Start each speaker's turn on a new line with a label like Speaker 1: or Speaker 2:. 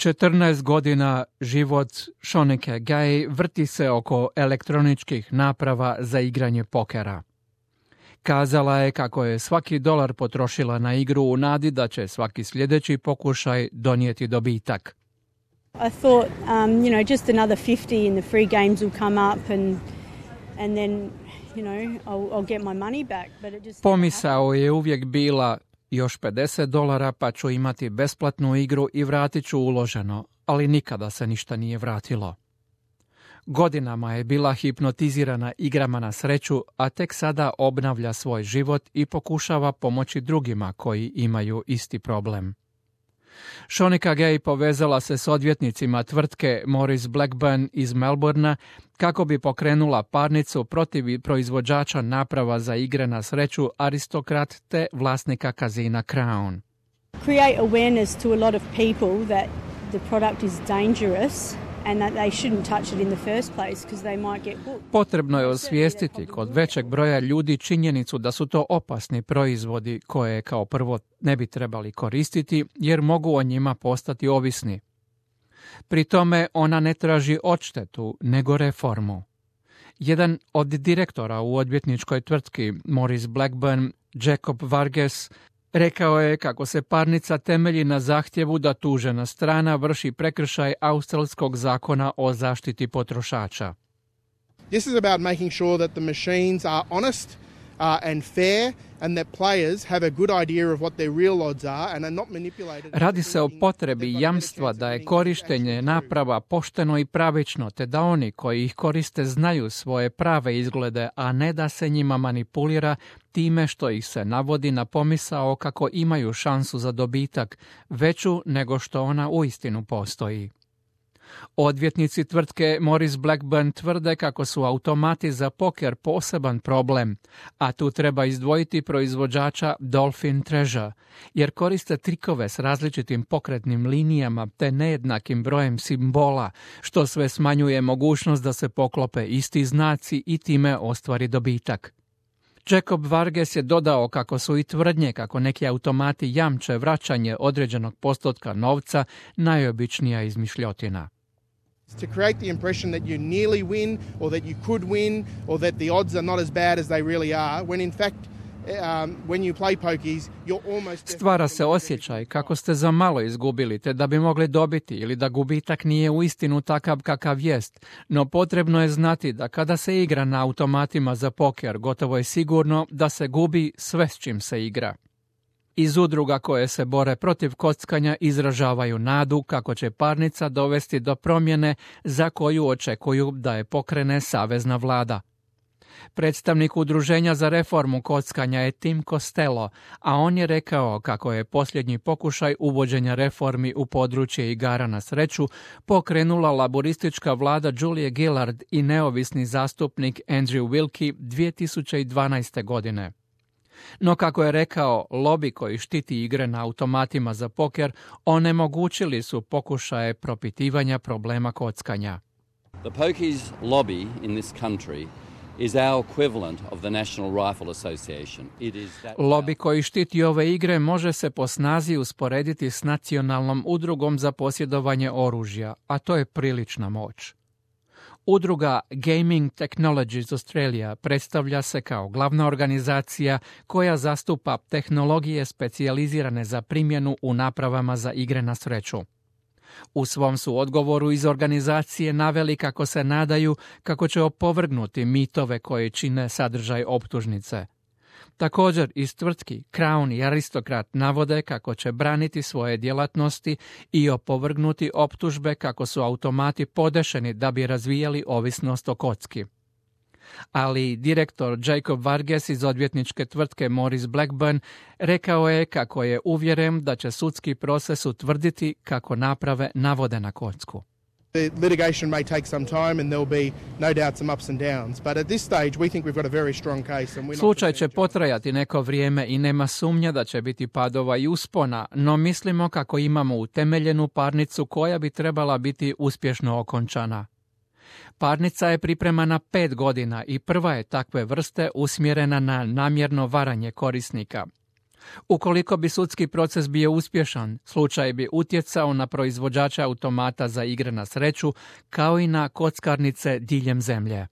Speaker 1: 14 godina život Shonike Gay vrti se oko elektroničkih naprava za igranje pokera. Kazala je kako je svaki dolar potrošila na igru u nadi da će svaki sljedeći pokušaj donijeti dobitak.
Speaker 2: I thought, just another 50 and the free games will come up and then, I'll get my money back. But it just
Speaker 1: Pomisao je uvijek bila još $50 pa ću imati besplatnu igru i vratit ću uloženo, ali nikada se ništa nije vratilo. Godinama je bila hipnotizirana igrama na sreću, a tek sada obnavlja svoj život i pokušava pomoći drugima koji imaju isti problem. Shonika Gay povezala se s odvjetnicima tvrtke Maurice Blackburn iz Melbournea kako bi pokrenula parnicu protiv proizvođača naprava za igre na sreću Aristocrat te vlasnika kazina Crown.
Speaker 2: Create awareness to a lot of people that the product is dangerous and that they shouldn't touch it in the first place because they might get hooked.
Speaker 1: Potrebno je osvijestiti kod većeg broja ljudi činjenicu da su to opasni proizvodi koje kao prvo ne bi trebali koristiti jer mogu o njima postati ovisni. Pri tome ona ne traži odštetu, nego reformu. Jedan od direktora u odvjetničkoj tvrtki Maurice Blackburn, Jacob Vargas, rekao je kako se parnica temelji na zahtjevu da tužena strana vrši prekršaj australskog zakona o zaštiti potrošača.
Speaker 3: This is about making sure that the machines are honest and fair and that players have a good idea of what their real odds are and are not manipulated.
Speaker 1: Radi se o potrebi jamstva da je korištenje naprava pošteno i pravično, te da oni koji ih koriste znaju svoje prave izglede, a ne da se njima manipulira time što ih se navodi na pomisao kako imaju šansu za dobitak, veću nego što ona uistinu postoji. Odvjetnici tvrtke Maurice Blackburn tvrde kako su automati za poker poseban problem, a tu treba izdvojiti proizvođača Dolphin Treasure, jer koriste trikove s različitim pokretnim linijama te nejednakim brojem simbola, što sve smanjuje mogućnost da se poklope isti znaci i time ostvari dobitak. Jacob Vargas je dodao kako su i tvrdnje kako neki automati jamče vraćanje određenog postotka novca najobičnija izmišljotina.
Speaker 3: To create the impression that you nearly win or that you could win or that the odds are not as bad as they really are, when in fact when you play pokies you're almost...
Speaker 1: Stvara se osjećaj kako ste za malo izgubili te da bi mogli dobiti ili da gubitak nije uistinu takav kakav jest, no potrebno je znati da kada se igra na automatima za poker gotovo je sigurno da se gubi sve s čim se igra. Iz udruga koje se bore protiv kockanja izražavaju nadu kako će parnica dovesti do promjene za koju očekuju da je pokrene savezna vlada. Predstavnik udruženja za reformu kockanja je Tim Costello, a on je rekao kako je posljednji pokušaj uvođenja reformi u područje igara na sreću pokrenula laboristička vlada Julie Gillard i neovisni zastupnik Andrew Wilkie 2012. godine. No kako je rekao, lobi koji štiti igre na automatima za poker onemogućili su pokušaje propitivanja problema kockanja.
Speaker 4: The pokies lobby in this country is our equivalent of the National Rifle Association.
Speaker 1: Lobi koji štiti ove igre može se po snazi usporediti s nacionalnom udrugom za posjedovanje oružja, a to je prilična moć. Udruga Gaming Technologies Australia predstavlja se kao glavna organizacija koja zastupa tehnologije specijalizirane za primjenu u napravama za igre na sreću. U svom su odgovoru iz organizacije naveli kako se nadaju kako će opovrgnuti mitove koje čine sadržaj optužnice. Također iz tvrtki Crown i Aristocrat navode kako će braniti svoje djelatnosti i opovrgnuti optužbe kako su automati podešeni da bi razvijali ovisnost o kocki. Ali direktor Jacob Vargas iz odvjetničke tvrtke Maurice Blackburn rekao je kako je uvjeren da će sudski proces utvrditi kako naprave navode na kocku.
Speaker 3: The litigation may take some time and there'll be no doubt some ups and downs, but at this stage we think we've got a very strong case and we're not...
Speaker 1: Slučaj će potrajati neko vrijeme i nema sumnja da će biti padova i uspona, no mislimo kako imamo utemeljenu parnicu koja bi trebala biti uspješno okončana. Parnica je pripremana 5 godina i prva je takve vrste usmjerena na namjerno varanje korisnika. Ukoliko bi sudski proces bio uspješan, slučaj bi utjecao na proizvođače automata za igre na sreću, kao i na kockarnice diljem zemlje.